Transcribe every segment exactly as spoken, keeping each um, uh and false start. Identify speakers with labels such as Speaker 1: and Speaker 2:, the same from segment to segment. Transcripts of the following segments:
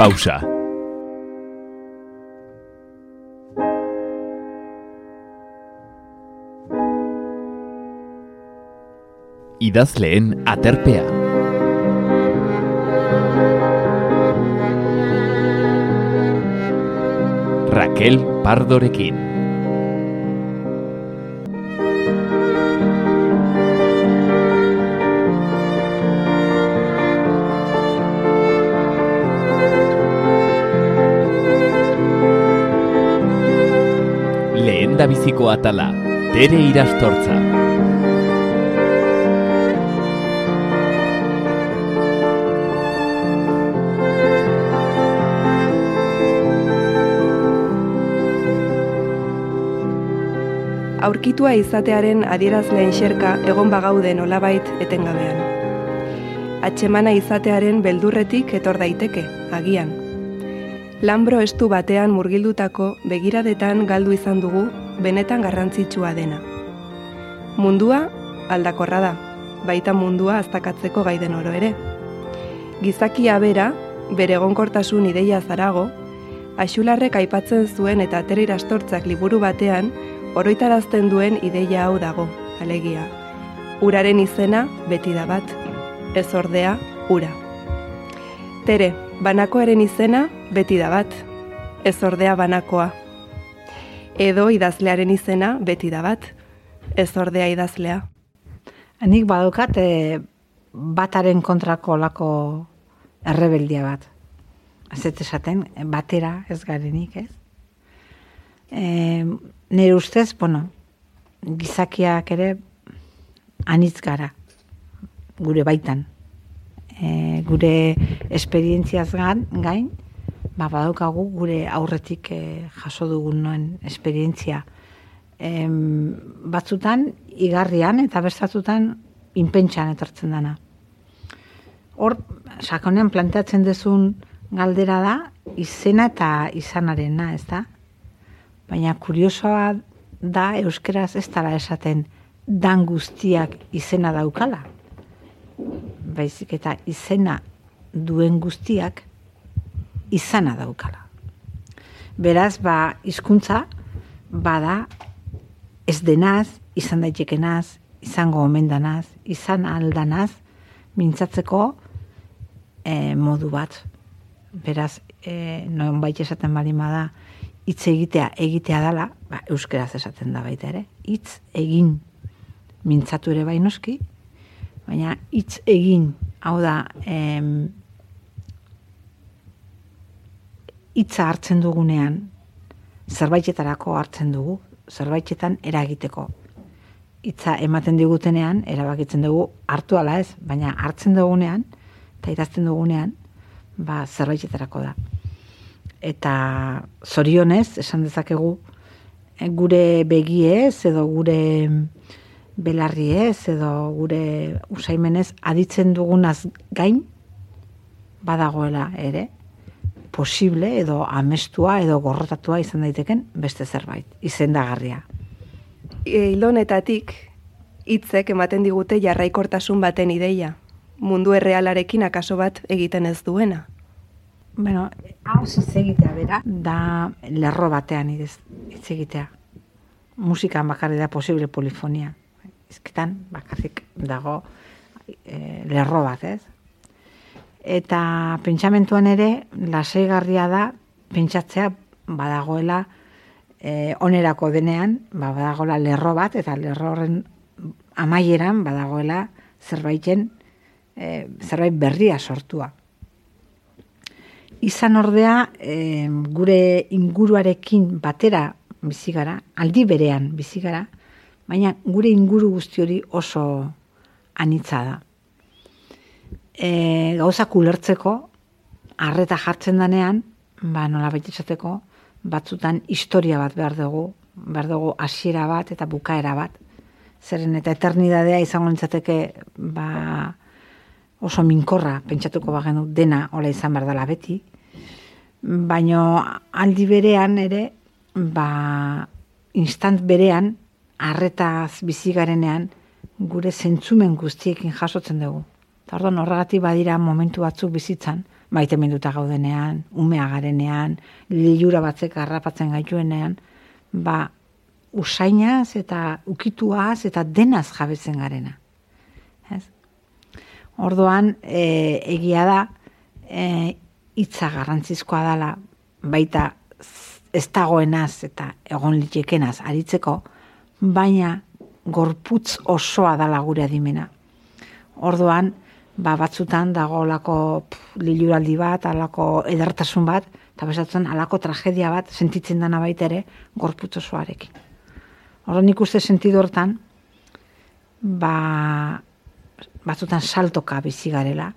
Speaker 1: Pausa. Idazleen aterpea. Raquel Pardorekin. Lehendabiziko atala, Tere Irastortza.
Speaker 2: Aurkitua izatearen adierazleen xerka egon bagaude nolabait etengabean. Atxemana izatearen beldurretik etor daiteke, agian. Lanbro estu batean murgildutako begiradetan galdu izan dugu benetan garrantzitsua dena. Mundua aldakorra da, baita mundua aztakatzeko gai den oro ere. Gizakia bera, bere egonkortasun ideia zarago, Axularrek aipatzen zuen eta Tere Irastortzak liburu batean oroitarazten duen ideia hau dago, alegia. Uraren izena beti da bat, ez ordea ura. Tere, banakoaren izena beti da bat, ez ordea banakoa. Edo idazlearen izena beti da bat, ez ordea idazlea.
Speaker 3: Nik badukat e, bataren kontrako lako errebeldia bat. Ez ez esaten, batera ez garenik, ez? E, nire ustez, bueno, gizakiak ere anitz gara, gure baitan. E, gure esperientziaz gain, gain ba, badaukagu gure aurretik e, jaso dugunen esperientzia. E, batzutan, igarrian eta bestatutan inpentsan etortzen dana. Hor, sakonean planteatzen duzun galdera da, izena eta izanarena, ez da? Baina kuriosoa da, euskeraz ez dara esaten dan guztiak izena daukala. Baizik eta izena duen guztiak izana daukala. Beraz, ba, hizkuntza bada ez denaz, izan daitekenaz, izango omen danaz, izan aldanaz, mintzatzeko e, modu bat. Beraz, e, noen baita esaten bali da, hitz egitea egitea dala, ba, euskeraz esaten da baita ere, hitz egin mintzatu ere bai noski, baina hitz egin, hau da, em, hitza hartzen dugunean, zerbaitetarako hartzen dugu, zerbaitetan eragiteko. Hitza ematen digutenean, erabakitzen dugu hartu ala ez, baina hartzen dugunean, eta idazten dugunean, ba, zerbaitetarako da. Eta zorionez, esan dezakegu, gure begiez, edo gure belarriez, edo gure usaimenez, aditzen dugunaz gain, badagoela ere, posible, edo amestua, edo gorrotatua izan daiteken beste zerbait, izendagarria.
Speaker 2: Ilonetatik, hitzek ematen digute jarraikortasun baten ideia, mundu errealarekin akaso bat egiten ez duena.
Speaker 3: Bueno, hau hitz egitea bera, da lerro batean hitz egitea. Musikan bakarrik da posible polifonia. Ezketan bakarrik dago e, lerro bat, ez? Eta pentsamentuan ere, lasaigarria da pentsatzea badagoela e, onerako denean, ba, badagoela lerro bat, eta lerro horren amaieran badagoela zerbaiten, e, zerbait berria sortua. Izan ordea, e, gure inguruarekin batera bizi gara, aldi berean bizi gara, baina gure inguru guzti hori oso anitza da. E, gauzak ulertzeko, arreta jartzen danean, ba, nola baitesateko, batzutan historia bat behar dugu, behar dugu hasiera bat eta bukaera bat. Zeren eta eternidadea izango nintzateke, ba, oso minkorra, pentsatuko bagenu dena hola izan behar dela beti, baino aldi berean ere, ba, instant berean, arretaz bizi garenean, gure zentzumen guztiekin jasotzen dugu. Eta orduan horregatik badira momentu batzuk bizitzan, maiteminduta gaudenean, umea garenean, lilura batzek harrapatzen gaituenean, ba, usainaz eta ukituaz eta denaz jabetzen garena. Ez? Orduan, e, egia da, e, hitza garrantzizkoa dela, baita ez dagoenaz eta egon litekenaz aritzeko, baina gorputz osoa dela gure adimena. Orduan, ba, batzutan dagoelako liluraldi bat, alako edertasun bat, eta bezatzen alako tragedia bat sentitzen dana baita ere gorputz osoarekin. Orduan nik uste sentidu hortan, ba, batzutan saltoka bizi garela,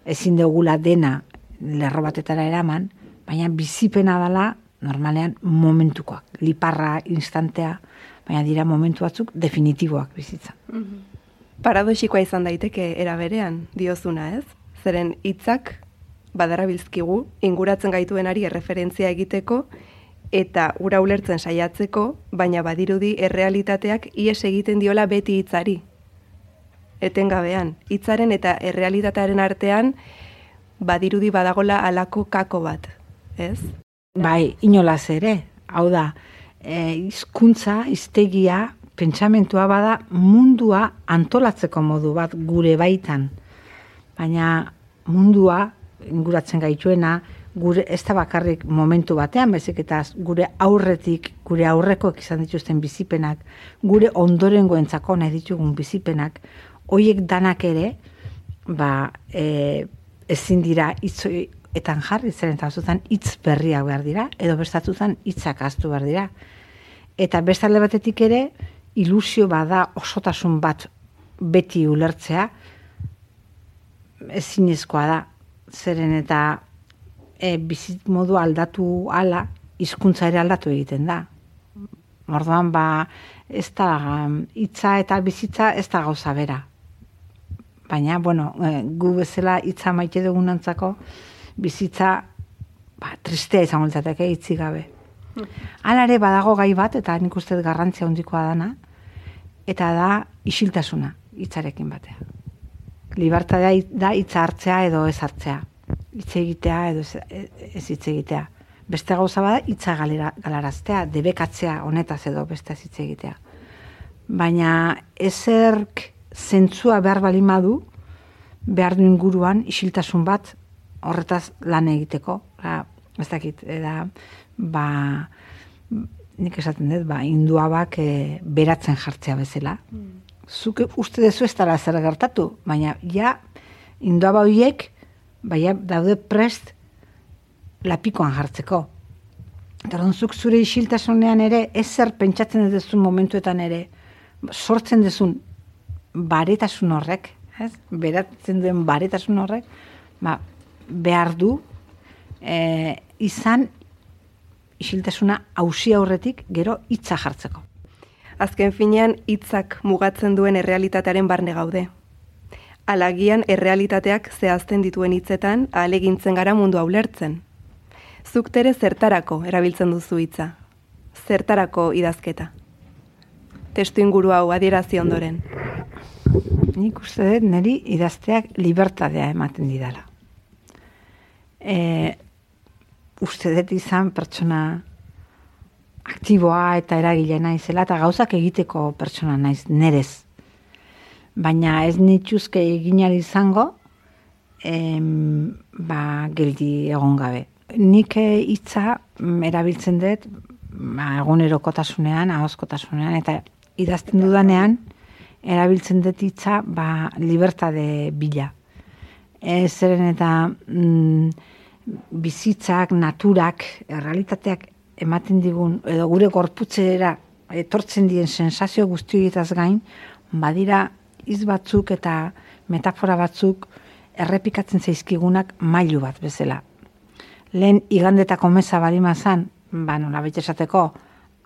Speaker 3: ezin dugula dena lerro batetara eraman, baina bizipena dela normalean momentukoak, liparra, instantea, baina dira momentu batzuk definitiboak bizitzan.
Speaker 2: Mm-hmm. Paradoxikoa izan daiteke era berean, diozuna ez? Zeren hitzak badarabilzkigu inguratzen gaituenari erreferentzia egiteko eta ura ulertzen saiatzeko, baina badirudi errealitateak ihes egiten diola beti hitzari. Etengabean, hitzaren eta errealitatearen artean badirudi badagola halako kako bat, ez?
Speaker 3: Bai, inolaz ere, hau da, e, hizkuntza, hiztegia, pentsamentua bada mundua antolatzeko modu bat gure baitan. Baina mundua inguratzen gaituena, gure ez da bakarrik momentu batean, baizik eta gure aurretik, gure aurrekoek izan dituzten bizipenak, gure ondorengoentzako nahi ditugun bizipenak, hoiek danak ere, ba, e, ezin dira hitzetan jarri, zeren eta batzutan hitz berriak behar dira, edo bestatzutan hitzak ahaztu behar dira. Eta bestalde batetik ere, ilusio bada osotasun bat beti ulertzea, ezinezkoa da, zeren eta e, bizit modu aldatu ala, hizkuntza ere aldatu egiten da. Orduan, ba, ez da, hitza eta bizitza ez da gauza bera. Baina, bueno, e, gu bezala hitza maite dugunantzako, bizitza, ba, tristea izango litzateke hitzik gabe. Hala ere badago gai bat, eta nik uste garrantzia handikoa dana, eta da isiltasuna hitzarekin batea. Libertatea da hitza hartzea edo ez hartzea. Hitz egitea edo ez, ez hitz egitea. Beste gauza bada hitza galaraztea, debekatzea honetaz edo beste hitz egitea. Baina ezerk zentzua behar balin badu, behar du inguruan isiltasun bat horretaz lan egiteko. Ba, ez dakit, da, ba, nik esaten dut, ba, induabak e, beratzen jartzea bezala. Mm. Zuk uste dezu ez dara zer gertatu, baina ja induaba horiek baina daude prest lapikoan jartzeko. Eta zuk zure isiltasunean ere, ezer pentsatzen dezun momentuetan ere, sortzen dezun baretasun horrek, ez? Beratzen duen baretasun horrek, ba, behar du e, izan isiltasuna auzi aurretik gero hitza jartzeko.
Speaker 2: Azken finean hitzak mugatzen duen errealitatearen barne gaude. Alagian errealitateak zehazten dituen hitzetan ahalegintzen gara mundua ulertzen. Zuk tere zertarako erabiltzen duzu hitza? Zertarako idazketa? Testu inguru hau adierazi ondoren.
Speaker 3: Nik uste dut niri idazteak libertadea ematen didala. E, uste dut izan pertsona aktiboa eta eragile naizela eta gauzak egiteko pertsona naiz nerez. Baina ez nituzke eginari izango em, ba, geldi egon gabe. Nik hitza erabiltzen dut ba, egunerokotasunean, ahozkotasunean eta idazten dudanean erabiltzen dut hitza ba, libertade bila. Ez zeren eta mm, bizitzak, naturak, errealitateak ematen digun, edo gure gorputzera etortzen dien sensazio guztietaz gain, badira hitz batzuk eta metafora batzuk errepikatzen zaizkigunak mailu bat bezala. Lehen igandetako meza balima zan, ba, nola baita esateko,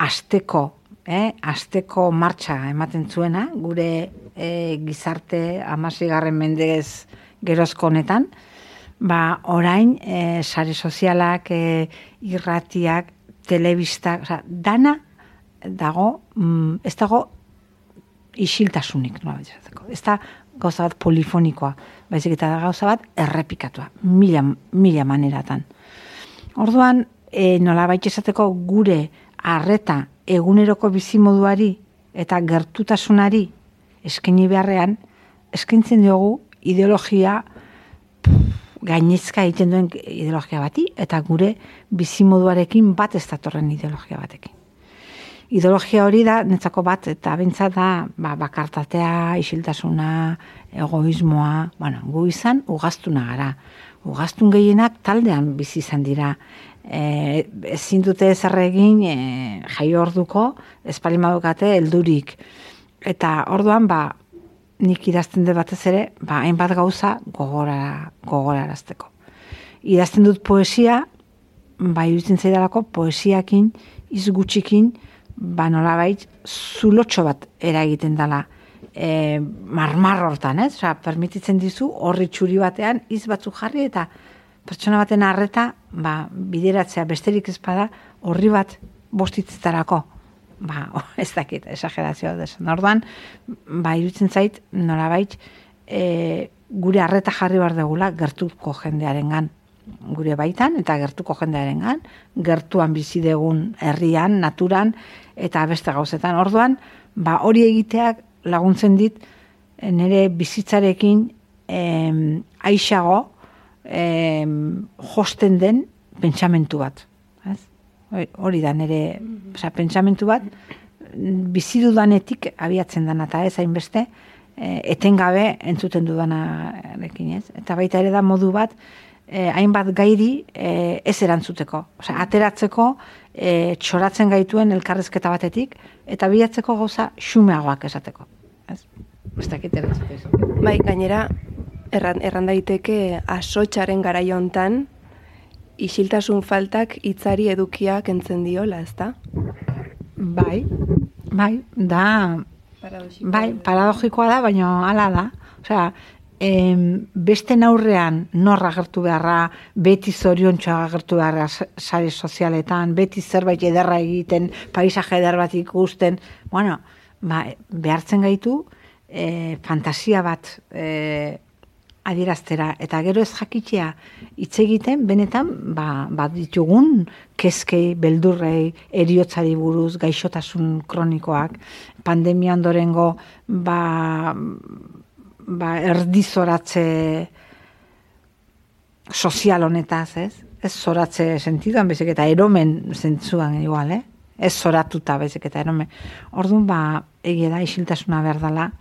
Speaker 3: asteko, eh, asteko martxa ematen zuena, gure eh, gizarte hamaseigarren mendez gerozko honetan, ba, orain eh, sare sozialak, eh, irratiak, telebistak, oza, dana dago, mm, ez dago isiltasunik, nola bezateko. Ez da gauza bat polifonikoa, baizik eta da gauza bat errepikatua, mila, mila maneratan. Orduan, e, nola baita esateko gure arreta eguneroko bizimoduari eta gertutasunari eskaini beharrean, eskaintzen diogu ideologia gainezka egiten duen ideologia bati, eta gure bizimoduarekin bat ez datorren ideologia batekin. Ideologia hori da, netzako bat, eta bintzat da, ba, bakartatea, isiltasuna, egoismoa, bueno, gu izan, ugaztuna gara. Ugaztun gehienak taldean bizi izan dira. E, ezin dute zer egin e, jaio orduko, espalimadukate heldurik. Eta orduan, ba, nik idazten dut batez ere, ba, hainbat gauza gogora, gogorarazteko. Idazten dut poesia, ba, iruditzen zaidalako poesiakin, izgutxikin, ba, nolabait, zulotxo bat eragiten dela e, marmar hortan, ez? Osa, permititzen dizu, horri txuri batean, iz batzuk jarri, eta pertsona baten arreta, ba, bideratzea besterik ezpada, horri bat bostitzetarako. Ba, ez dakit, esagerazioa desan. Orduan, ba, iruditzen zait, nolabait, e, gure arreta jarri behar degula gertuko jendearengan, gure baitan eta gertuko jendearengan, gertuan bizi degun herrian, naturan eta beste gauzetan. Orduan, ba, hori egiteak laguntzen dit nire bizitzarekin em, aixago em, josten den pentsamentu bat. Ez? Hori da nire, osea, pentsamentu bat bizi dudanetik abiatzen dana, eta ez hainbeste etengabe entzuten dudanarekin, ez? Eta baita ere da modu bat eh, hainbat gairi eh, ez erantzuteko. Osea, ateratzeko eh, txoratzen gaituen elkarrezketa batetik, eta bilatzeko gauza xumeagoak esateko. Ez? Ez dakit erantzuteko.
Speaker 2: Bai, gainera, erran, erran daiteke asotxaren garaio hontan, isiltasun faltak hitzari edukia kentzen diola, ezta?
Speaker 3: Bai, bai, da,
Speaker 2: Paradogikoa
Speaker 3: bai, paradogikoa da, baina hala da. Osea, em, beste aurrean nor agertu beharra, beti zoriontxoa agertu beharra sare sozialetan, beti zerbait ederra egiten, paisaje eder bat ikusten, bueno, ba, behartzen gaitu, e, fantasia bat e, adieraztera, eta gero ez jakitea hitz egiten, benetan, ba, bat ditugun kezkei, beldurrei, eriotzari buruz, gaixotasun kronikoak, pandemia ondorengo, ba, ba, erdizoratze sozial honetaz, ez? Ez zoratze sentiduan, bezik eta eromen zentzuan igual, eh? Ez zoratuta, bezik eta eromen. Orduan, ba, egia da, isiltasuna behar dela,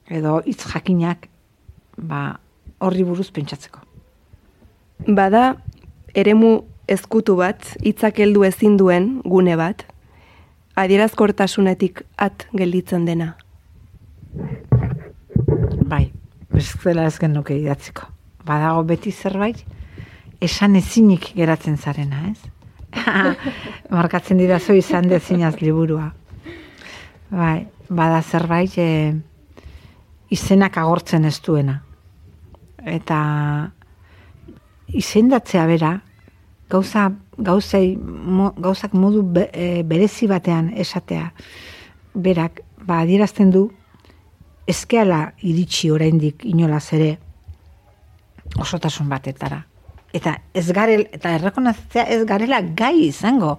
Speaker 3: edo hitz jakinak, ba, horri buruz pentsatzeko.
Speaker 2: Bada, eremu ezkutu bat, hitzak heldu ezin duen gune bat, adierazkortasunetik at gelditzen dena.
Speaker 3: Bai, ez dela ez genuke idatziko. Badago beti zerbait, esan ezinik geratzen zarena, ez? Markatzen didazu izan dezinaz liburua. Bai, bada zerbait e, izenak agortzen ez duena. Eta izendatzea bera, gauza, gauzei, mo, gauzak modu be, e, berezi batean esatea, berak, ba, adierazten du, ezkeala iritsi oraindik inolaz ere osotasun batetara. Eta ez garel, eta errekonatzea ez garela gai izango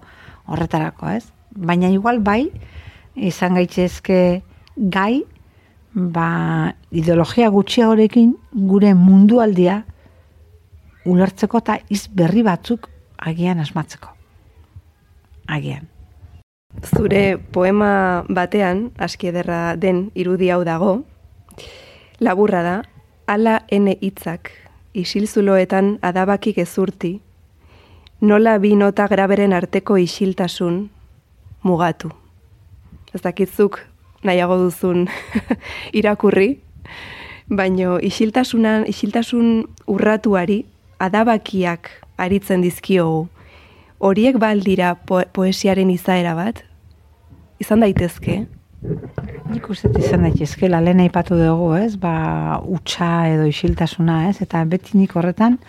Speaker 3: horretarako, ez? Baina igual bai, izan gaitzezke gai, ba, ideologia gutxiagorekin gure mundualdia ulertzeko eta iz berri batzuk agian asmatzeko. Agian.
Speaker 2: Zure poema batean, aski ederra den irudi hau dago, laburra da, ala ene hitzak, isilzuloetan adabaki gezurti, nola bi nota graberen arteko isiltasun mugatu. Ez dakitzuk nahiago duzun irakurri, baino isiltasunan, isiltasun urratuari adabakiak aritzen dizkiogu. Horiek baldira po poesiaren izaera bat? Izan daitezke?
Speaker 3: Nik uste izan daitezke, lehen aipatu dugu, ez? Ba, utxa edo isiltasuna, ez? Eta beti nik horretan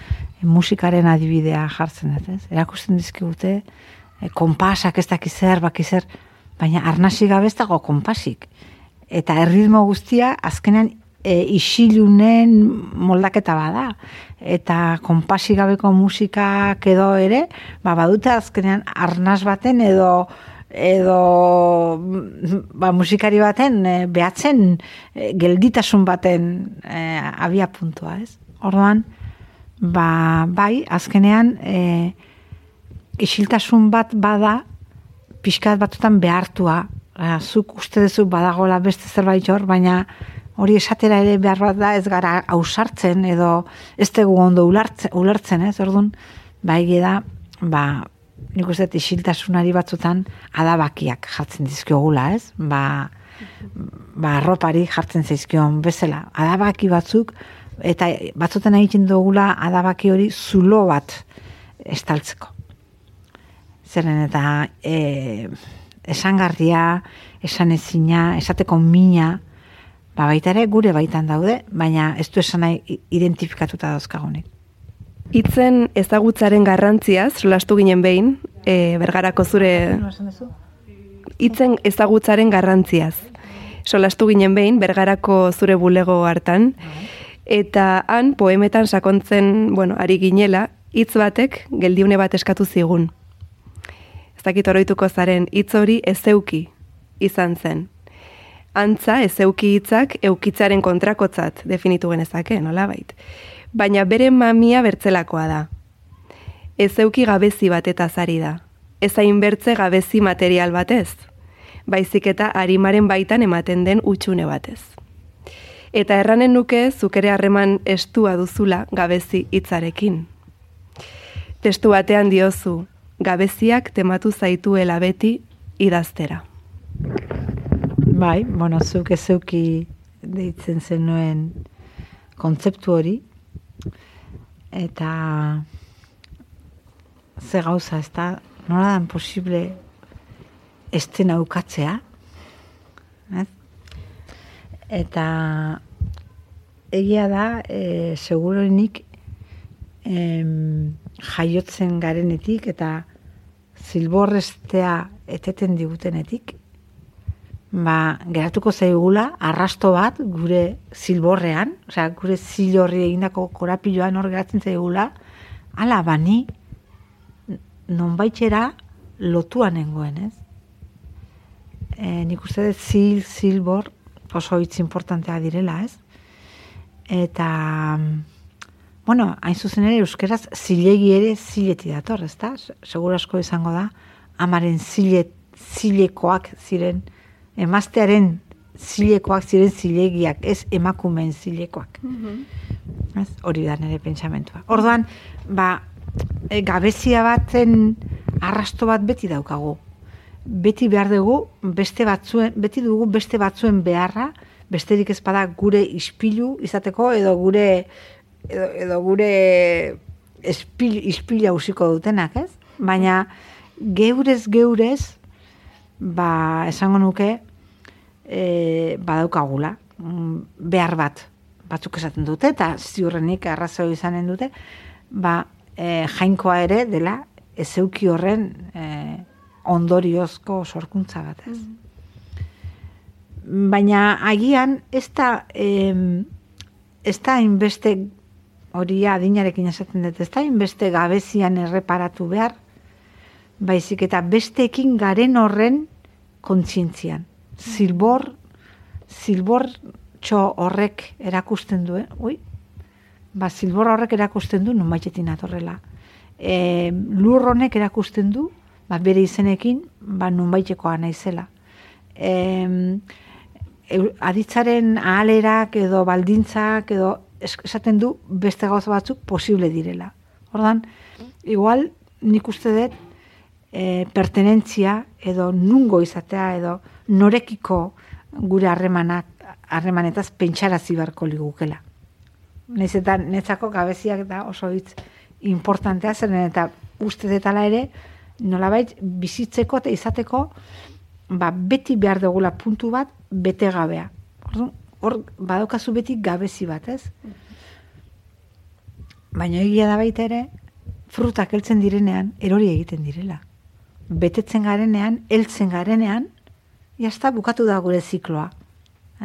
Speaker 3: e, musikaren adibidea jartzen dut, ez? Erakusten dizkigute, e, konpasak ez dakizer, bakizer, baina arnasi gabe ez dago konpasik. eta erritmo guztia azkenean e, isilunen moldaketa bada. Eta konpasi gabeko musikak edo ere, ba, badute azkenean arnaz baten edo edo ba, musikari baten e, behatzen e, gelditasun baten e, abia puntua, ez? Orduan, ba, bai, azkenean e, isiltasun bat bada pixkat batutan behartua. E, zuk uste duzu badagoela beste zerbait hor, baina hori esatera ere behar bat da ez gara ausartzen edo ez dugu ondo ulertzen, ulertzen ez? Orduan, ba, egia da, ba, nik uste isiltasunari batzutan adabakiak jartzen dizkiogula, ez? Ba, ba arropari jartzen zaizkion bezala. Adabaki batzuk, eta batzutan egiten dugula adabaki hori zulo bat estaltzeko. Zeren eta e, esangarria, esanezina, esateko mina, ba baita ere gure baitan daude, baina ez du esan nahi identifikatuta dauzkagunik.
Speaker 2: Hitzen ezagutzaren garrantziaz, solastu ginen behin, e, Bergarako zure... Hitzen ezagutzaren garrantziaz. Solastu ginen behin, Bergarako zure bulego hartan, eta han poemetan sakontzen, bueno, ari ginela, hitz batek geldiune bat eskatu zigun. Ez dakit oroituko zaren, hitz hori ezeuki izan zen. Antza, ezeuki hitzak eukitzaren kontrakotzat definitu genezake, nolabait. Baina bere mamia bertzelakoa da. Ezeuki gabezi bat eta zari da. Ez hain bertze gabezi material batez. Baizik eta arimaren baitan ematen den utxune batez. Eta erranen nuke zuk ere harreman estua duzula gabezi hitzarekin. Testu batean diozu, gabeziak tematu zaituela beti idaztera.
Speaker 3: Bai, bueno, zuk ezeuki deitzen zenuen kontzeptu hori, eta ze gauza, ez da, nola dan posible estena ukatzea, ez? Eta egia da, e, seguronik em, jaiotzen garenetik eta zilborrestea eteten digutenetik, ba, geratuko zaigula arrasto bat gure zilborrean, osea, gure zilorri egindako korapiloan hor geratzen zaigula, ala bani nonbaitera lotua nengoen, ez? E, nik uste dut zil, zilbor oso hitz importantea direla, ez? Eta, bueno, hain zuzen ere euskeraz zilegi ere zileti dator, ez da? Segur asko izango da, amaren zile, zilekoak ziren, emaztearen zilekoak ziren zilegiak, ez emakumeen zilekoak. Mm-hmm. Ez, hori da nire pentsamentua. Orduan, ba, e, gabezia baten arrasto bat beti daukagu. Beti behar dugu, beste batzuen, beti dugu beste batzuen beharra, besterik ez bada gure ispilu izateko, edo gure edo, edo gure espil, ispila usiko dutenak, ez? Baina geurez geurez, ba, esango nuke, e, badaukagula, behar bat, batzuk esaten dute, eta ziurrenik arrazoi izanen dute, ba, e, jainkoa ere dela, ezeuki horren e, ondoriozko sorkuntza bat, ez? Mm. Baina agian, ez da, e, ez da inbeste, hori adinarekin esaten dut, ez da inbeste gabezian erreparatu behar, baizik eta besteekin garen horren kontzientzian. Zilbor, zilbor txo horrek erakusten du, eh? Ui, ba, zilbor horrek erakusten du nonbaitetin atorrela. E, lur honek erakusten du, ba, bere izenekin, ba, nonbaitekoa naizela. E, aditzaren ahalerak edo baldintzak edo esaten du beste gauza batzuk posible direla. Ordan, igual, nik uste dut, E, pertenentzia edo nungo izatea edo norekiko gure harremanak harremanetaz pentsarazi beharko ligukela. Naiz eta netzako gabeziak da oso hitz importantea zen eta uste detala ere nolabait bizitzeko eta izateko ba, beti behar dugula puntu bat bete gabea. Hor badaukazu beti gabezi bat, ez? Baina egia da baita ere frutak heltzen direnean erori egiten direla. Betetzen garenean, heltzen garenean, jazta bukatu da gure zikloa.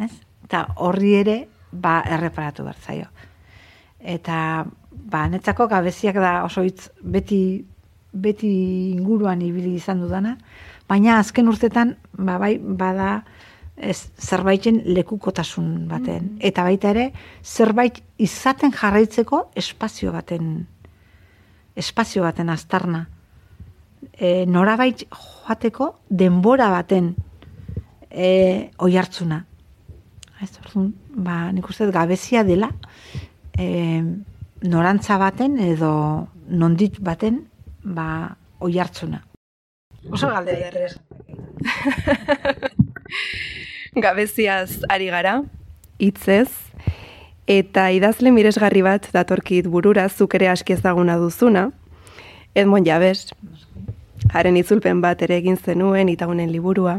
Speaker 3: ez? Eta horri ere, ba, erreparatu behar zaio. Eta, ba, netzako gabeziak da oso hitz beti, beti inguruan ibili izan dudana, baina azken urtetan, ba, bai, bada, ez, zerbaiten lekukotasun baten. Eta baita ere, zerbait izaten jarraitzeko espazio baten, espazio baten aztarna. E, norabait joateko denbora baten e, oihartzuna. Ez, orduan, ba, nik uste gabezia dela e, norantza baten edo nondit baten ba, oihartzuna. Oso galdera errez.
Speaker 2: Gabeziaz ari gara, hitzez, eta idazle miresgarri bat datorkit burura, zuk ere aski ezaguna duzuna, Edmond Jabes, haren itzulpen bat ere egin zenuen, Itagunen liburua.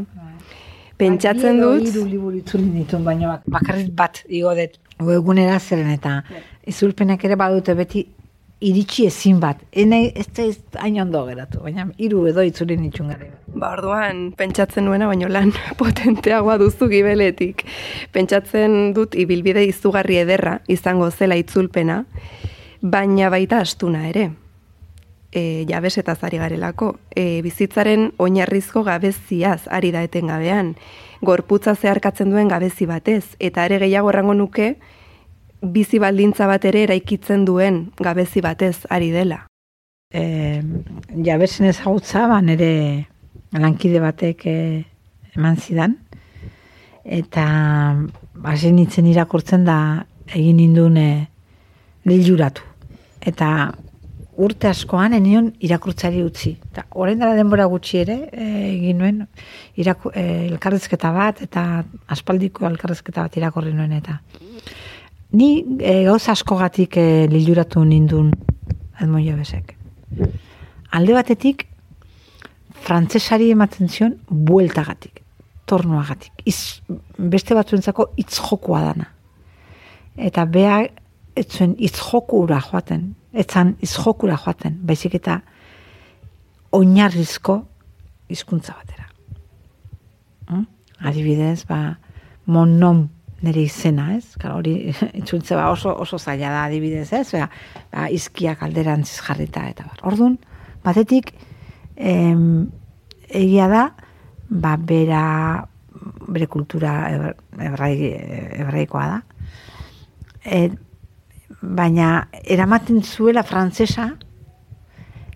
Speaker 2: Pentsatzen dut...
Speaker 3: Hiru liburu itzulin ditun, baina bakarrik bat igo dut. Egunera zeren eta itzulpenak ere badute beti iritsi ezin bat. Enei ez da hain ondo geratu, baina hiru edo itzulin ditun gara.
Speaker 2: Ba, orduan, pentsatzen nuena, baino lan potenteagoa duzu gibeletik. Pentsatzen dut ibilbide izugarri ederra izango zela itzulpena, baina baita astuna ere. E, Jabes eta zari garelako. E, bizitzaren oinarrizko gabeziaz ari da etengabean. Gorputza zeharkatzen duen gabezi batez, eta ere gehiago errango nuke, bizi baldintza bat ere eraikitzen duen gabezi batez ari dela.
Speaker 3: E, Jabesen ezagutza, ba, nire lankide batek e, eman zidan, eta hasi nintzen irakurtzen da egin nindun e, liluratu. Eta urte askoan enion irakurtzari utzi. Eta orain dela denbora gutxi ere e, egin nuen iraku, e, elkarrizketa bat eta aspaldiko elkarrizketa bat irakorri nuen eta ni e, gauza askogatik e, liluratu nindun Edmond Jabesek. Alde batetik frantsesari ematen zion bueltagatik, tornuagatik. Iz, beste batzuentzako hitz jokoa dana. Eta bea ez zuen hitz jokura joaten. Etzan izjokura joaten, baizik eta oinarrizko hizkuntza batera. Hmm? Adibidez, ba, monom nire izena, ez? Karo, hori itzultze ba oso, oso zaila da adibidez, ez? Ba, ba, izkiak alderantziz jarrita eta bar. Orduan, batetik, em, egia da, ba, bera, bere kultura hebraikoa da. Et, baina eramaten zuela frantsesa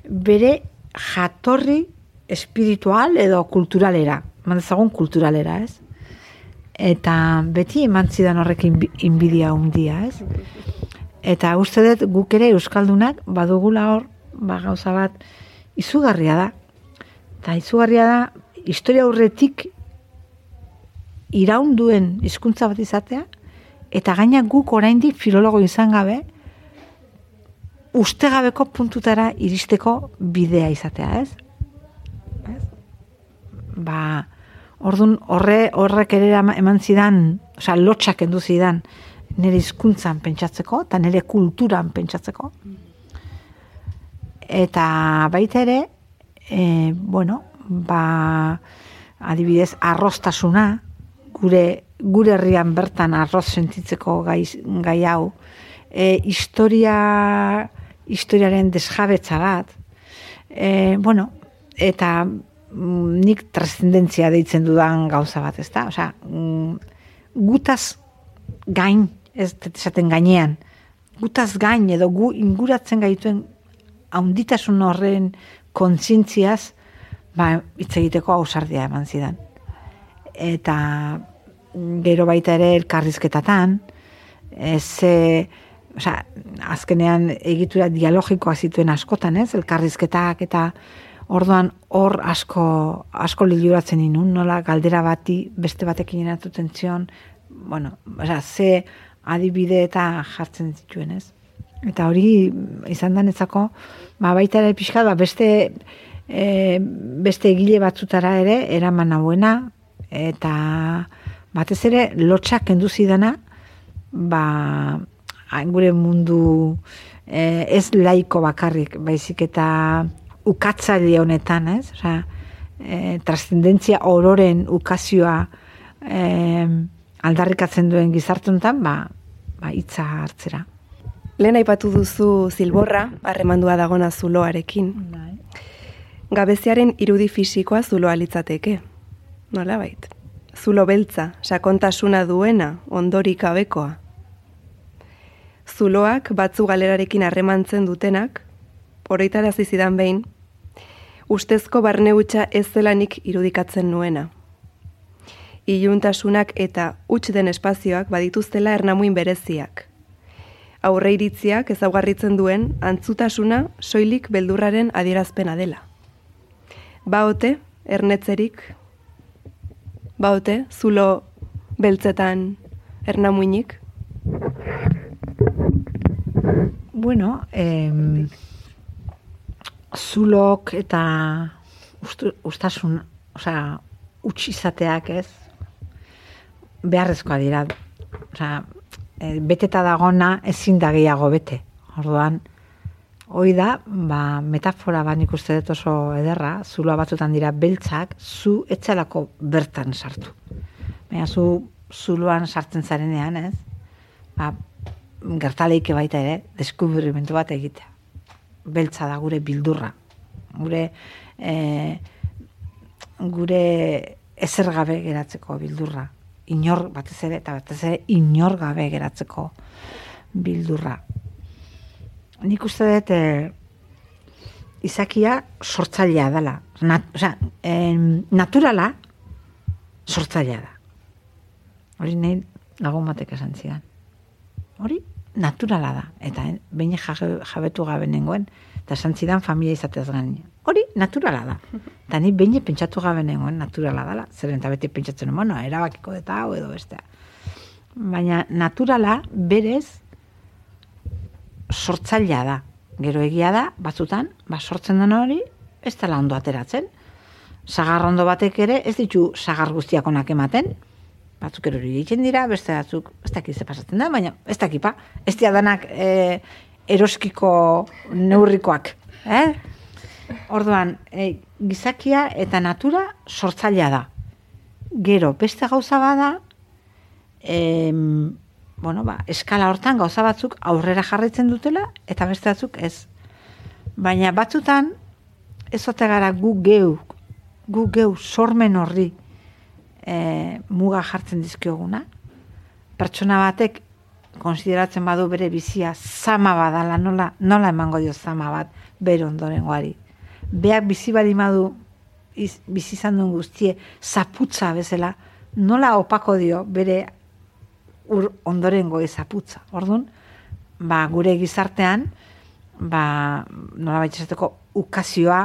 Speaker 3: bere jatorri espiritual edo kulturalera, mandezagun kulturalera, ez? Eta beti eman zidan horrekin inbidia handia, ez? Eta uste dut guk ere euskaldunak badugula hor, ba gauza bat izugarria da. Eta izugarria da historia aurretik iraun duen hizkuntza bat izatea. Eta gaina guk oraindik filologo izan gabe, ustegabeko puntutara iristeko bidea izatea, ez? Ez? Ba, ordun horre horrek ere eman zidan, osea, lotxak kendu zidan nire hizkuntzan pentsatzeko eta nire kulturan pentsatzeko. Eta baita ere, e, bueno, ba, adibidez, arroztasuna, gure gure herrian bertan arroz sentitzeko gai, gai hau, e, historia, historiaren desjabetza bat, e, bueno, eta mm, nik transcendentzia deitzen dudan gauza bat, ez da? Osea, mm, gutaz gain, ez esaten gainean, gutaz gain edo gu inguratzen gaituen haunditasun horren kontzientziaz, ba, hitz egiteko ausardia eman zidan. Eta gero baita ere elkarrizketatan, ez, e, osea, azkenean egitura dialogikoa zituen askotan, ez, elkarrizketak eta orduan hor asko, asko liluratzen inun, nola galdera bati beste batekin eratuten zion, bueno, osea, ze adibide eta jartzen zituen, ez. Eta hori izan danetzako, ba, baita ere pixka, ba, beste, e, beste egile batzutara ere eraman hauena, eta batez ere, lotxak kendu zidana, ba, gure mundu eh, ez laiko bakarrik, baizik eta ukatzaile honetan, ez? Osea, eh, transcendentzia ororen ukazioa eh, aldarrikatzen duen gizartuntan, ba, ba hitza hartzera.
Speaker 2: Lehen aipatu duzu zilborra, harremandua dagona zuloarekin. Gabeziaren irudi fisikoa zuloa litzateke. Nola bait? Zulo beltza, sakontasuna duena, ondorik gabekoa. Zuloak batzu galerarekin harremantzen dutenak, oroitarazi zidan behin, ustezko barne hutsa ez zelanik irudikatzen nuena. Iluntasunak eta huts den espazioak badituztela ernamuin bereziak. Aurre iritziak ezaugarritzen duen antzutasuna soilik beldurraren adierazpena dela. Baote, ernetzerik, baote, zulo beltzetan ernamuinik?
Speaker 3: Bueno, eh, zulok eta ustu, ustasun, osea, utxizateak ez, beharrezkoa dira. Osea, e, beteta dagona ezin da gehiago bete. Orduan, hoi da, ba, metafora ba nik uste dut oso ederra, zuloa batzutan dira beltzak, zu etxalako bertan sartu. Baina zu zuloan sartzen zarenean, ez? Ba, gertaleike baita ere, deskubrimentu bat egitea. Beltza da gure bildurra. Gure e, gure ezer gabe geratzeko bildurra. Inor batez ere, eta batez ere inor gabe geratzeko bildurra. Nik uste dut e, izakia sortzailea dela. Nat, o sea, e, naturala sortzailea da. Hori nahi lagun batek esan zidan. Hori naturala da. Eta eh, behin jabetu gabe nengoen, eta esan zidan familia izatez gain. Hori naturala da. Eta ni behin pentsatu gabe nengoen naturala dela. Zeren eta beti pentsatzen, bueno, erabakiko eta hau edo bestea. Baina naturala berez sortzailea da. Gero egia da, batzutan, ba, sortzen den hori, ez dela ondo ateratzen. Sagar ondo batek ere, ez ditu sagar guztiak onak ematen. Batzuk erori egiten dira, beste batzuk, ez dakit ze pasatzen da, baina ez dakipa. Ez dira danak e, eroskiko neurrikoak. Eh? Orduan, e, gizakia eta natura sortzailea da. Gero, beste gauza bada, e, bueno, ba, eskala hortan gauza batzuk aurrera jarraitzen dutela, eta beste batzuk ez. Baina batzutan, ez ote gara gu geu, gu geu sormen horri e, muga jartzen dizkioguna. Pertsona batek konsideratzen badu bere bizia zama badala, nola, nola emango dio zama bat bere ondorengoari. Beak bizi badi madu bizi izan duen guztie zaputza bezala, nola opako dio bere ur ondorengo zaputza. Orduan, ba, gure gizartean, ba, nola baitxezateko ukazioa,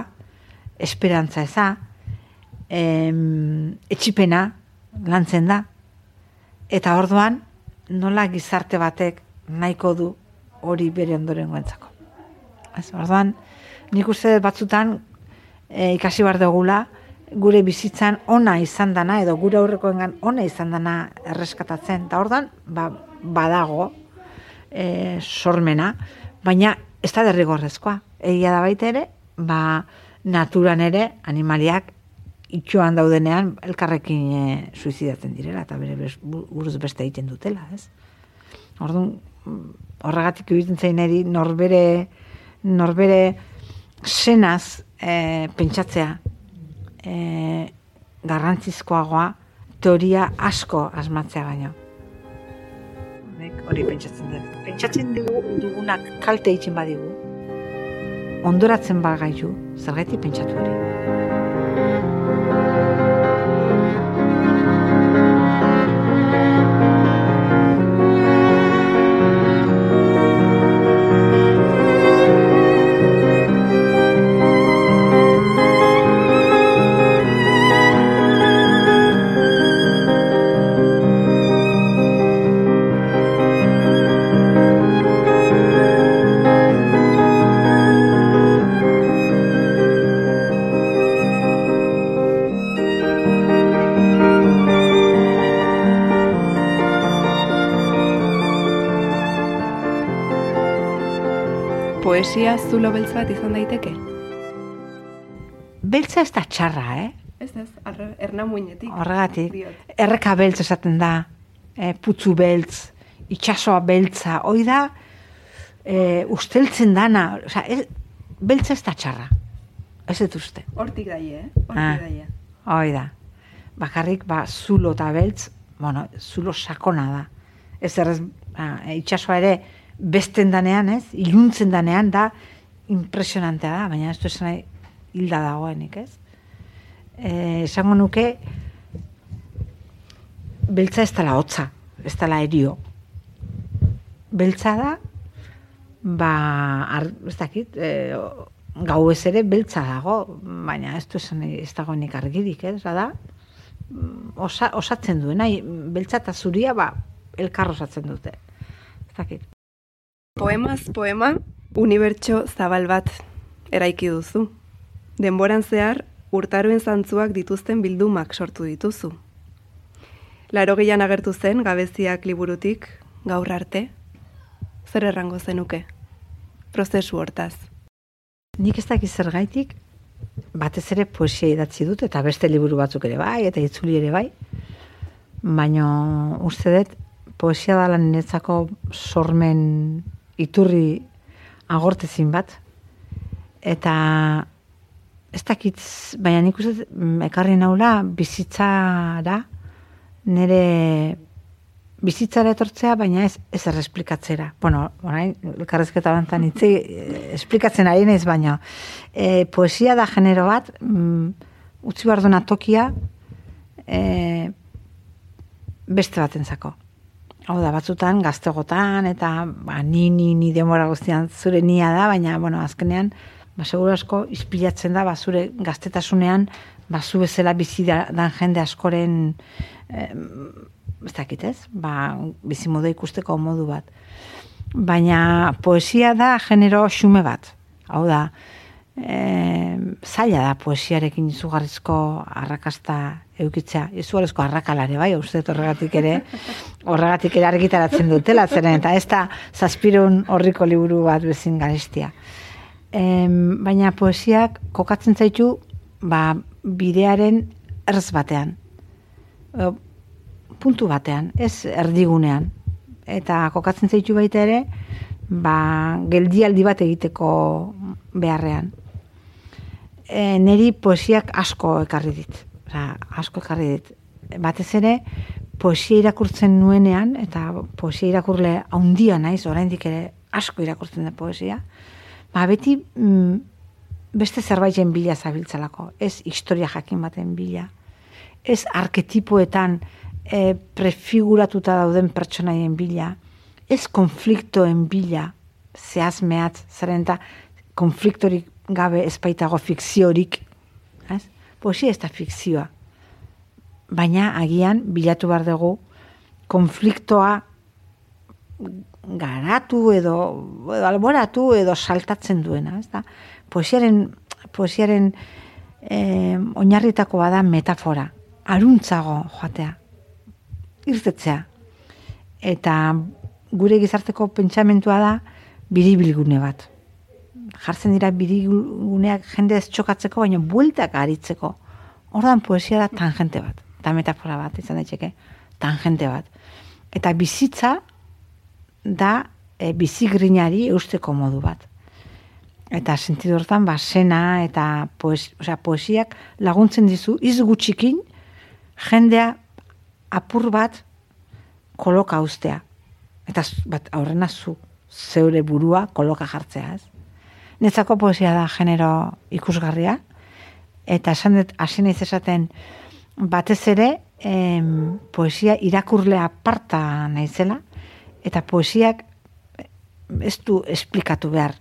Speaker 3: esperantza eza, em, etxipena lantzen da. Eta orduan, nola gizarte batek nahiko du hori bere ondorengoentzako. Ez, orduan, nik uste batzutan e, ikasi bar dugula, gure bizitzan ona izan dana, edo gure aurrekoengan ona izan dana erreskatatzen. Eta orduan, ba, badago e, sormena, baina ez da derrigorrezkoa. Egia da baita ere, ba, naturan ere animaliak itxoan daudenean elkarrekin e, suizidatzen direla, eta bere buruz beste egiten dutela, ez? Orduan, horregatik egiten zein eri norbere, norbere senaz e, pentsatzea e, garrantzizkoagoa teoria asko asmatzea baino. Hori pentsatzen dut. Pentsatzen dugu, dugunak kalte egiten badigu, ondoratzen bagaitu, zergatik pentsatu hori.
Speaker 2: Poesia zulo beltz bat izan daiteke?
Speaker 3: Beltza ez da txarra, eh?
Speaker 2: Ez ez, ernamuinetik.
Speaker 3: Horregatik, erreka beltz esaten da. e, putzu beltz, itxasoa beltza, hoi da, e, usteltzen dana, oza, ez, beltza ez da txarra, ez dut uste.
Speaker 2: Hortik daie, eh? Hortik
Speaker 3: Ah.
Speaker 2: daie.
Speaker 3: Hoi da, bakarrik, ba, zulo eta beltz, bueno, zulo sakona da. Ez errez, ah, itxasoa ere, besten danean, ez, iluntzen danean, da, impresionantea da, baina ez du esan nahi, hilda dagoenik, ez? Eh, esango nuke, beltza ez dela hotza, ez dela erio. Beltza da, ba, ar, ez dakit, e, gau ez ere beltza dago, baina ez du esan nahi, ez dagoenik argirik, ez da, osa, osatzen duena, beltza eta zuria, ba, elkar osatzen dute. Ez dakit.
Speaker 2: Poemaz poema, unibertso zabal bat eraiki duzu. Denboran zehar, urtaroen zantzuak dituzten bildumak sortu dituzu. Larogeian agertu zen gabeziak liburutik gaur arte. Zer errango zenuke? Prozesu hortaz.
Speaker 3: Nik ez dakiz zergaitik, batez ere poesia idatzi dut, eta beste liburu batzuk ere bai, eta itzuli ere bai, baina uste dut, poesia dela niretzako sormen iturri agortezin bat, eta ez dakit, baina nik uste ekarri naula bizitzara, nire bizitzara etortzea, baina ez, ez erresplikatzera. Bueno, orain, elkarrezketa bantan itzi, esplikatzen ari naiz, baina e, poesia da genero bat, mm, utzi behar duna tokia, e, beste batentzako. Hau da, batzutan, gaztegotan, eta ba, ni, ni, ni demora guztian zure nia da, baina, bueno, azkenean, ba, seguru asko, ispilatzen da, ba, zure gaztetasunean, ba, zu bezala bizi da, dan jende askoren, eh, ez dakit ez, ba, bizimodu ikusteko modu bat. Baina poesia da genero xume bat. Hau da, e, zaila da poesiarekin izugarrizko arrakasta eukitzea. Izugarrizko arrakalare, bai, uste horregatik ere, horregatik ere argitaratzen dutela, zeren, eta ez da zazpirun horriko liburu bat bezin garestia. E, baina poesiak kokatzen zaitu, ba, bidearen erz batean. E, puntu batean, ez erdigunean. Eta kokatzen zaitu baita ere, ba, geldialdi bat egiteko beharrean. E, neri poesiak asko ekarri dit. Osa, asko ekarri dit. Batez ere, poesia irakurtzen nuenean, eta poesia irakurle haundia naiz, oraindik ere asko irakurtzen da poesia, ba, beti mm, beste zerbaiten bila zabiltzalako. Ez historia jakin baten bila. Ez arketipoetan E, prefiguratuta dauden pertsonaien bila, ez konfliktoen bila, zehaz mehatz, zeren eta konfliktorik gabe ezpaitago fikziorik, ez? Poesia ez da fikzioa, baina agian bilatu behar dugu konfliktoa garatu edo, edo alboratu edo saltatzen duena, ez da? Poesiaren, poesiaren eh, oinarritakoa da metafora, aruntzago joatea, irtetzea. Eta gure gizarteko pentsamentua da biribilgune bat. Jartzen dira biribilguneak jende ez txokatzeko, baina bueltak aritzeko. Ordan poesia da tangente bat. Eta metafora bat, izan daiteke, tangente bat. Eta bizitza da e, bizigrinari eusteko modu bat. Eta sentidu hortan, ba, sena eta poes, osea, poesiak laguntzen dizu, iz gutxikin, jendea apur bat koloka ustea. Eta bat aurrena zu, zeure burua koloka jartzea, ez? Netzako poesia da genero ikusgarria, eta esan dut, hasi naiz esaten, batez ere, em, poesia irakurle aparta naizela, eta poesiak ez du esplikatu behar.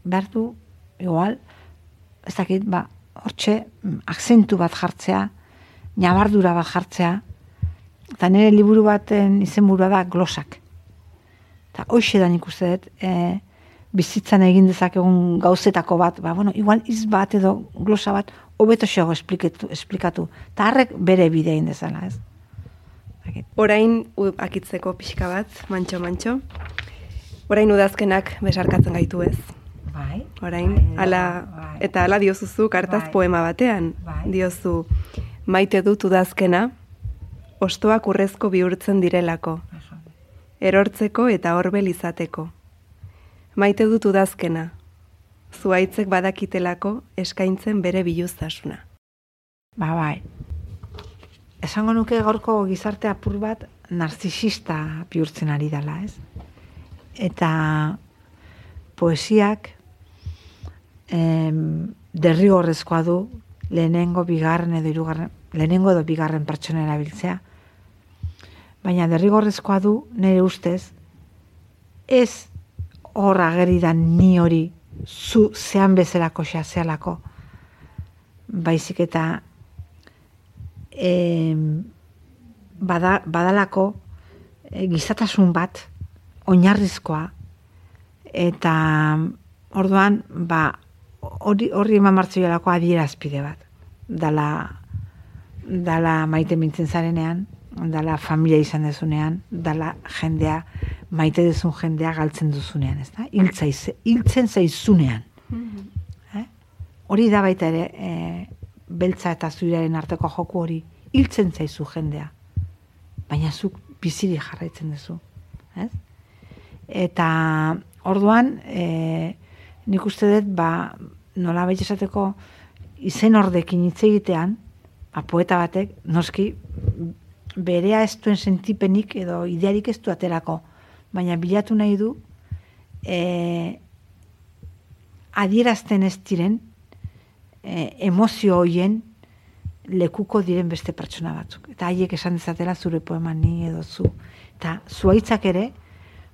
Speaker 3: Behar du, igual, ez dakit, ba, hortxe, akzentu bat jartzea, nabardura bat jartzea, eta nire liburu baten izenburua da glosak. Eta hoxe da nik uste dut, e, bizitzan egin dezakegun gauzetako bat, ba, bueno, igual iz bat edo glosa bat, hobeto xego esplikatu, esplikatu. Eta harrek bere bidea egin dezala, ez?
Speaker 2: Orain akitzeko pixka bat, mantxo-mantxo. Orain udazkenak besarkatzen gaitu, ez?
Speaker 3: Bai.
Speaker 2: Orain,
Speaker 3: bai,
Speaker 2: ala,
Speaker 3: bai.
Speaker 2: eta ala diozuzu kartaz
Speaker 3: Bai.
Speaker 2: poema batean.
Speaker 3: Bai.
Speaker 2: Diozu, maite dut udazkena, ostoak urrezko bihurtzen direlako. erortzeko eta horbel izateko. Maite dut udazkena, zuaitzek badakitelako eskaintzen bere biluztasuna.
Speaker 3: Ba, bai. Esango nuke gaurko gizarte apur bat narzisista bihurtzen ari dela, ez? Eta poesiak em, derrigorrezkoa du lehenengo, bigarren edo hirugarren, lehenengo edo bigarren pertsona erabiltzea. Baina derrigorrezkoa du, nire ustez, ez hor ageridan ni hori zu zean bezalako xazealako, baizik eta e, bada, badalako e, gizatasun bat oinarrizkoa, eta orduan ba, hori, hori eman martzoialako adierazpide bat. Dala, dala maite mintzen zarenean, dala familia izan dezunean, dala jendea, maite dezun jendea galtzen duzunean, ez da? Hiltzen zaizunean. Mm-hmm. eh? Hori da baita ere, e, beltza eta zuiraren arteko joku hori, hiltzen zaizu jendea. Baina zuk biziri jarraitzen duzu. Ez? Eta orduan, e, nik uste dut, ba, nola baita esateko, izen ordekin hitz egitean, ba, poeta batek, noski, berea ez duen sentipenik edo idearik ez du aterako, baina bilatu nahi du e, adierazten ez diren e, emozio hoien lekuko diren beste pertsona batzuk. Eta haiek esan dezatela zure poema ni edo zu. Eta zuaitzak ere,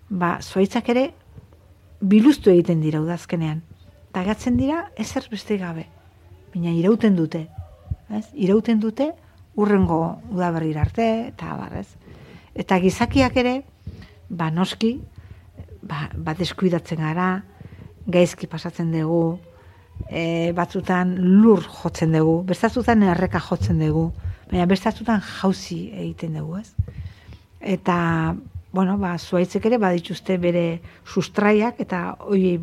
Speaker 3: ba, zuaitzak ere biluztu egiten dira udazkenean. Eta gatzen dira ezer beste gabe. Baina irauten dute. Ez? Irauten dute urrengo udaberrira arte, eta barrez. Eta gizakiak ere, ba noski, ba, ba deskuidatzen gara, gaizki pasatzen dugu, e, batzutan lur jotzen dugu, bestatzutan erreka jotzen dugu, baina bestatzutan jauzi egiten dugu, ez? Eta, bueno, ba, zuaitzek ere badituzte bere sustraiak, eta hori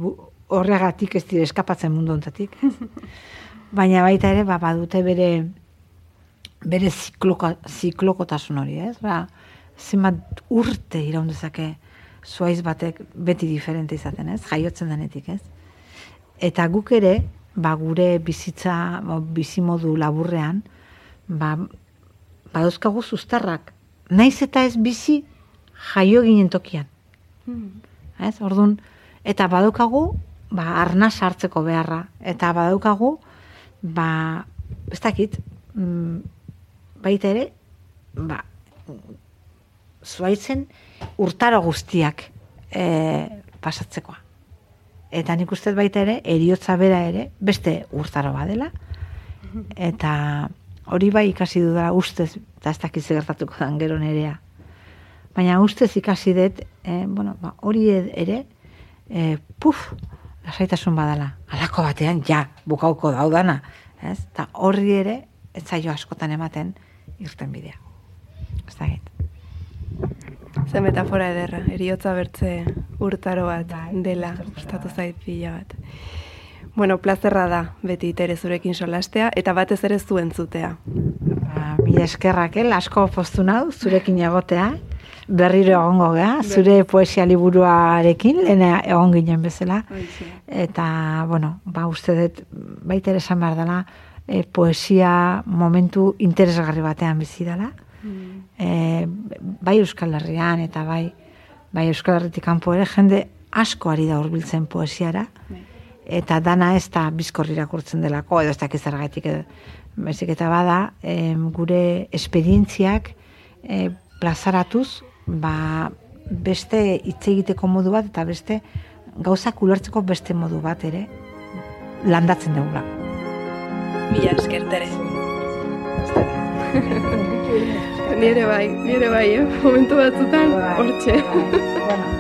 Speaker 3: horregatik ez dire eskapatzen mundu honetatik. Baina baita ere, ba, badute bere bere zikloko, ziklokotasun hori, ez? Ba, zenbat urte iraun dezake zuaiz batek beti diferente izaten, ez? Jaiotzen denetik, ez? Eta guk ere, ba, gure bizitza, ba, bizimodu laburrean, ba, badauzkagu zuztarrak. Naiz eta ez bizi jaio ginen tokian. Mm. Ez? Orduan, eta badaukagu, ba, arnaz hartzeko beharra. Eta badaukagu, ba, ez dakit, mm, baita ere, ba, zuaitzen urtaro guztiak e, pasatzekoa. Eta nik uste baita ere, eriotza bera ere, beste urtaro badela, eta hori bai ikasi dudala ustez, eta ez dakiz gertatuko dan gero nerea. Baina ustez ikasi dut, e, bueno, ba, hori ere, e, puf, lasaitasun badala. Halako batean, ja, bukauko daudana. Ez? Eta horri ere, ez zaio askotan ematen, irten bidea. Ez da gait.
Speaker 2: Ze metafora ederra, eriotza bertze urtaro bat dela, gustatu zait pila bat. Bueno, plazerra da, beti Tere zurekin solastea, eta batez ere zuen zutea.
Speaker 3: Ba, mila eskerrak, el, asko poztu nau, zurekin egotea, berriro egongo gea, zure poesia liburuarekin, lehena egon ginen bezala. Eta, bueno, ba, uste dut, baita ere esan behar dela, E, poesia momentu interesgarri batean bizi dela. Mm. E, bai Euskal Herrian eta bai, bai Euskal Herritik kanpo ere jende asko ari da hurbiltzen poesiara. Mm. Eta dana ez da bizkor irakurtzen delako, edo ez dakiz zergatik edo. Baizik eta bada, e, gure esperientziak e, plazaratuz, ba, beste hitz egiteko modu bat eta beste gauzak ulertzeko beste modu bat ere landatzen dugulako.
Speaker 2: Mila esker, Tere. Nire bai, nire bai, eh? Momentu batzutan, hortxe.
Speaker 3: Bueno.